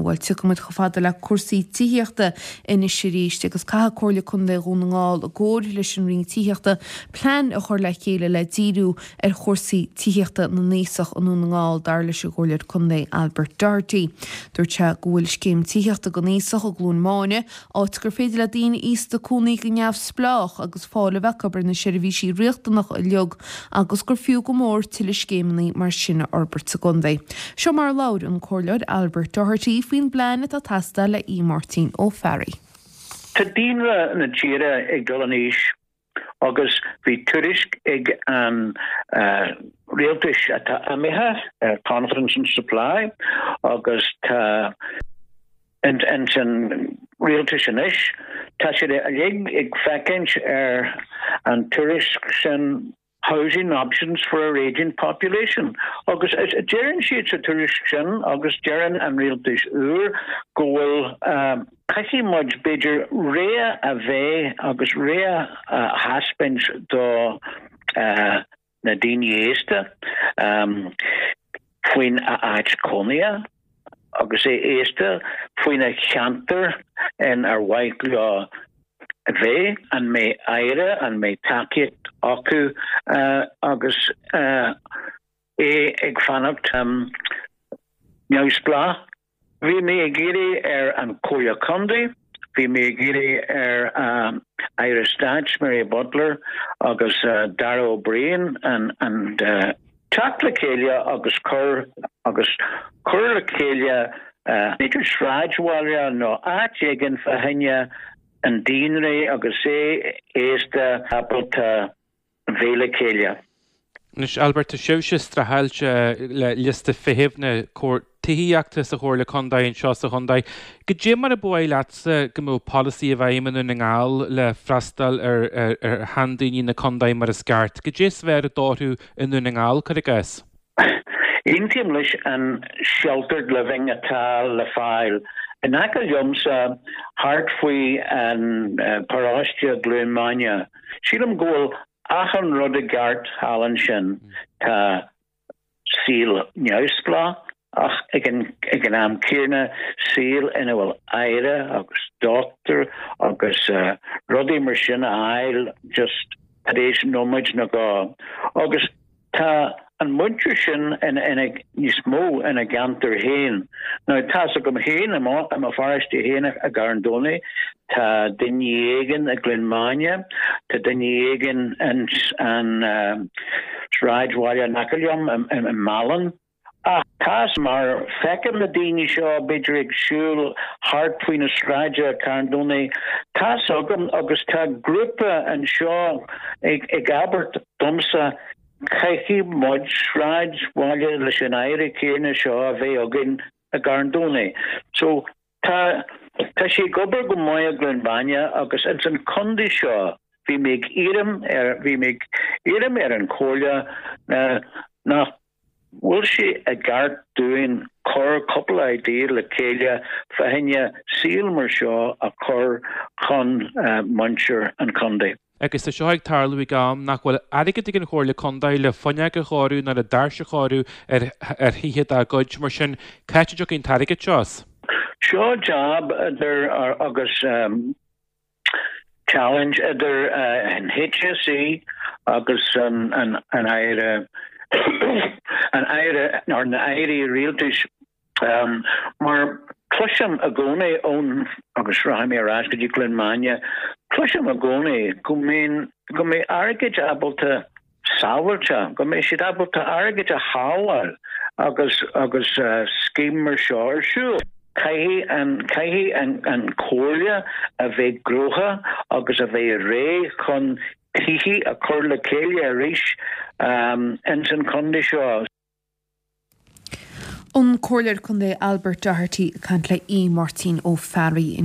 Bhuel, tiocfaidh muid chomh fada le cúrsaí tithíochta anois arís agus caithfidh Comhairle Contae Dhún na nGall i gcomhair leis an Roinn Tithíochta plean a chur le chéile le díriú ar chúrsaí tithíochta na n-aosach i nDún na nGall, dar leis an gComhairleoir Contae Albert Doherty. Dúirt sé go bhfuil scéim tithíochta don aosach i gCluain Máine, áit gur féidir le daoine aosta cónaí go neamhspleách agus fáil a bheith acu ar na seirbhísí riachtanacha uilig agus gur fiú go mór tuilleadh scéimeanna mar sin a fhorbairt sa gcontae. Seo mar a labhair an Comhairleoir Albert Doherty faoin bplean atá ag teastáil le Aodh Máirtín Ó Fearraigh. Tá daonra na tíre ag dul in aois agus bhí tuairisc ag an rialtas atá imithe, Confidence in Supply, agus tá ins an rialtas anois, tá siad uilig ag féachaint ar an tuairisc sin Housing Options for our Ageing Population agus deireann siad sa tuairisc sin agus deireann an rialtas úr go bhfuil caithfidh muid b'fhéidir rogha a bheith agus rogha a thaispeáint do na daoine aosta faoin a áit cónaithe agus é aosta faoina cheantar in ar mhaith leo a bheith, an mbeidh aire, an mbeidh tacaíocht acu agus é ag fanacht neamhspleách. Bhí mé ag iarraidh ar an Chomhairle Contae, bhí mé ag iarraidh ar Aire Stáit Mary Butler agus Darragh O'Brien an teacht le chéile agus cur agus cur le chéile b'fhéidir sráidbhaile nó áit éigin fá choinne an daonra agus é aosta ábalta bheith le chéile. Anois, Albert, tá sibhse streachailt le liosta feithimh na tithíochta sa Chomhairle Contae anseo sa chontae. Goidé mar a ba mhaith leatsa go mbeadh polasaí i bhfeidhm i nDún na nGall le freastal ar sheandaoine na contae mar is ceart? Goidé is fearr a d'oirfeadh i nDún na nGall, cuir i gcás? Aontaím leis an sheltered living atá le fáil in aice liomsa thart faoi an paróiste Gleann Maine. Sílim go bhfuil achan rud i gceart thall ansin. Tá saol neamhspleách ach ag an ag an am céanna saol ina bhfuil aire agus dochtúir agus rudaí mar sin a fháil just tar éis nóiméid nó dhó. Agus Tá an muintir sin ina níos mó ina gceantar féin. Now tá's agam féin i mo i mo pharóiste féin i gCarn Domhnach, tá duine éigin i gCluain Maine, tá duine éigin ins an sráidbhaile in aice liom i Meallan. Ach tá's mar feicim na daoine seo b'fhéidir ag siúl thart faoi na sráide i Carn Domhnach, tá's agam agus tá grúpa anseo ag ag abairt domsa caithfidh muid sráidbhaile leis an aire céanna seo a bheith againn i gCarn Domhnach. So tá tá sé ag obair go maith i gCluain Mhaine agus ins an contae seo bhí mé ag iarraidh ar bhí mé ag iarraidh ar an chomhairle nach bhfuil sé i gceart dúinn cur cúpla idea le chéile fá choinne saol mar seo a chur chun muintir an chontae. Agus tá seo ag tarlú ag am nach bhfuil airgead ag an Chomhairle Contae le fuinneog a chóiriú ná le doirse a chóiriú ar ar thithe dá gcuid, mar sin c'áit a dtiocfaidh an t-airgead seo as? Seo jab idir agus. challenge idir an HSE agus an Aire an Aire nó na Airí Rialtais mar cloisim i gcónaí ón agus rachaidh mé ar ais go dtí Cluain Maine cloisim i gcónaí go mbíonn go mbeidh airgead ábalta sábháilte, go mbeidh siad ábalta airgead a shábháil agus agus scéim mar seo ar siúl. Caithfidh an caithfidh an an Chomhairle a bheith gnóthach agus a bheith réidh chun tithe a chur le chéile arís ins an chontae seo. An Comhairleoir Contae Albert Doherty ag caint le Aodh Máirtín Ó Fearraigh.